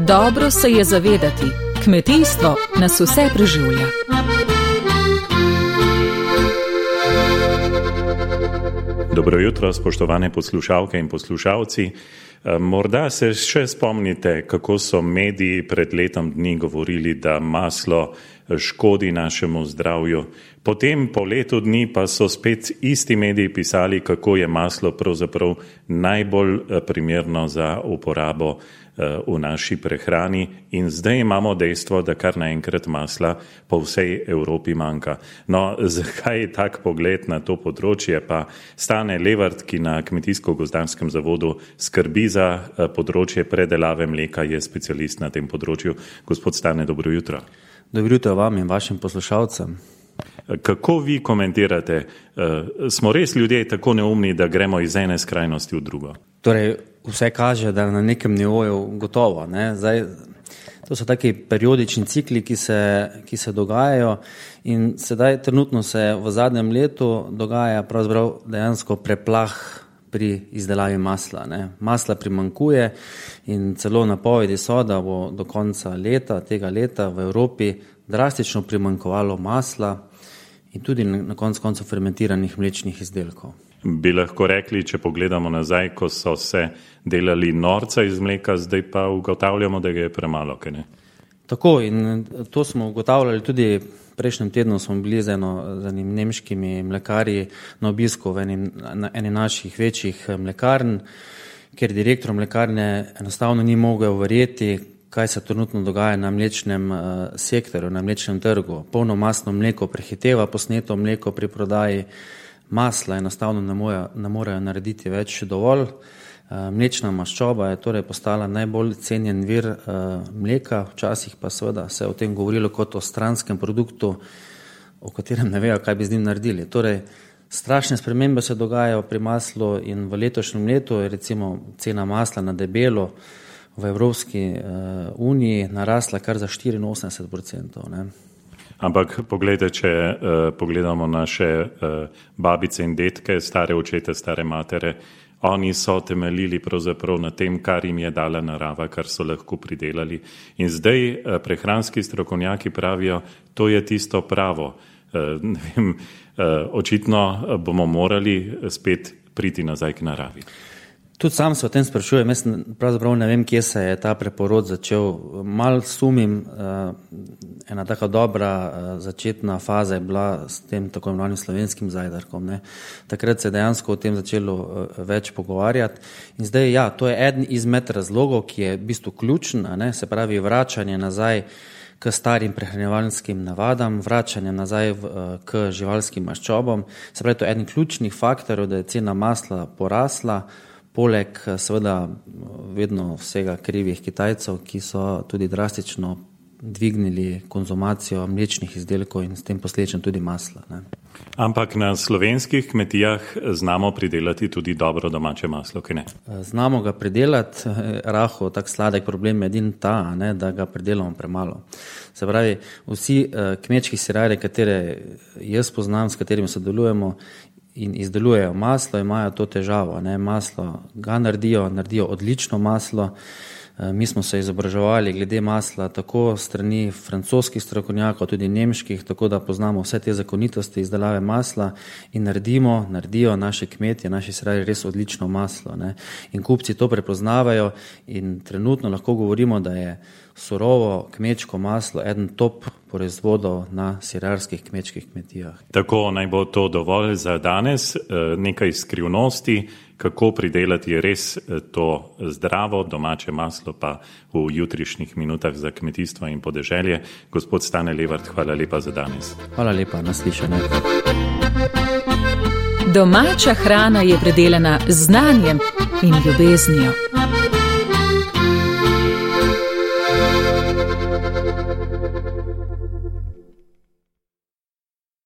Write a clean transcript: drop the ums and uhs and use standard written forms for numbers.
Dobro se je zavedati, kmetijstvo nas vse preživlja. Dobro jutro, spoštovane poslušalke in poslušalci. Morda se še spomnite, kako so mediji pred letom dni govorili, da maslo škodi našemu zdravju. Potem po letu dni pa so spet isti mediji pisali, kako je maslo pravzaprav najbolj primerno za uporabo v naši prehrani, in zdaj imamo dejstvo, da kar naenkrat masla po vsej Evropi manjka. No, zakaj je tak pogled na to področje? Pa Stane Levart, ki na Kmetijsko-gozdarskem zavodu skrbi za področje predelave mleka, je specialist na tem področju. Gospod Stane, dobro jutro. Dobro jutro vam in vašim poslušalcem. Kako vi komentirate? Smo res ljudje tako neumni, da gremo iz ene skrajnosti v drugo? Torej, vse kaže, da na nekem nivoju gotovo. Ne? Zdaj, to so taki periodični cikli, ki se dogajajo, in sedaj trenutno se v zadnjem letu dogaja pravzaprav dejansko preplah pri izdelavi masla. Ne? Masla primanjkuje in celo napovedi so, da bo do konca tega leta v Evropi drastično primanjkovalo masla in tudi na koncu fermentiranih mlečnih izdelkov. Bi lahko rekli, če pogledamo nazaj, ko so se delali norca iz mleka, zdaj pa ugotavljamo, da ga je premalo, kaj ne? Tako, in to smo ugotavljali tudi prejšnjem tednu, smo bili z enim nemškimi mlekarji na obisku v eni naših večjih mlekarn, ker direktor mlekarne enostavno ni mogel verjeti, kaj se trenutno dogaja na mlečnem sektorju, na mlečnem trgu. Polno masno mleko prehiteva posneto mleko pri prodaji, masla enostavno ne morejo narediti več dovolj. Mlečna maščoba je torej postala najbolj cenjen vir mleka, včasih pa seveda se je o tem govorilo kot o stranskem produktu, o katerem ne vejo, kaj bi z njim naredili. Torej, strašne spremembe se dogajajo pri maslu in v letošnjem letu je recimo cena masla na debelo v Evropski uniji narasla kar za 84%. Ne? Ampak poglejte, če pogledamo naše babice in detke, stare očete, stare matere, oni so temeljili pravzaprav na tem, kar jim je dala narava, kar so lahko pridelali. In zdaj prehranski strokovnjaki pravijo, to je tisto pravo. Ne vem, očitno bomo morali spet priti nazaj k naravi. Tudi sam se o tem sprašujem, jaz pravzaprav ne vem, kje se je ta preporod začel. Mal sumim, ena taka dobra začetna faza je bila s tem tako imenovanim slovenskim zajdarkom. Ne. Takrat se je dejansko o tem začelo več pogovarjati. In zdaj, ja, to je eden izmed razlogov, ki je v bistvu ključen, ne, se pravi vračanje nazaj k starim prehranjevalskim navadam, vračanje nazaj k živalskim maščobam. Se pravi, to je eden ključnih faktorjev, da je cena masla porasla, poleg seveda vedno vsega krivih Kitajcev, ki so tudi drastično dvignili konzumacijo mlečnih izdelkov in s tem posledično tudi masla. Ne. Ampak na slovenskih kmetijah znamo pridelati tudi dobro domače maslo, kaj ne? Znamo ga pridelati, tak sladek problem je edin ta, ne, da ga pridelamo premalo. Se pravi, vsi kmečki sirarji, katere jaz poznam, s katerimi sodelujemo in izdelujejo maslo, imajo to težavo. Ne. Maslo ga naredijo odlično maslo. Mi smo se izobraževali glede masla tako strani francoskih strokovnjakov, tudi nemških, tako da poznamo vse te zakonitosti izdelave masla in naredijo naši kmetje, naši sirarji res odlično maslo. Ne. In kupci to prepoznavajo in trenutno lahko govorimo, da je surovo kmečko maslo eden top proizvodov na sirarskih kmečkih kmetijah. Tako naj bo to dovolj za danes. Nekaj skrivnosti, kako pridelati res to zdravo domače maslo, pa v jutrišnjih minutah za kmetijstvo in podeželje. Gospod Stane Levart, hvala lepa za danes. Hvala lepa, naslišanje. Domača hrana je predelana z znanjem in ljubeznijo.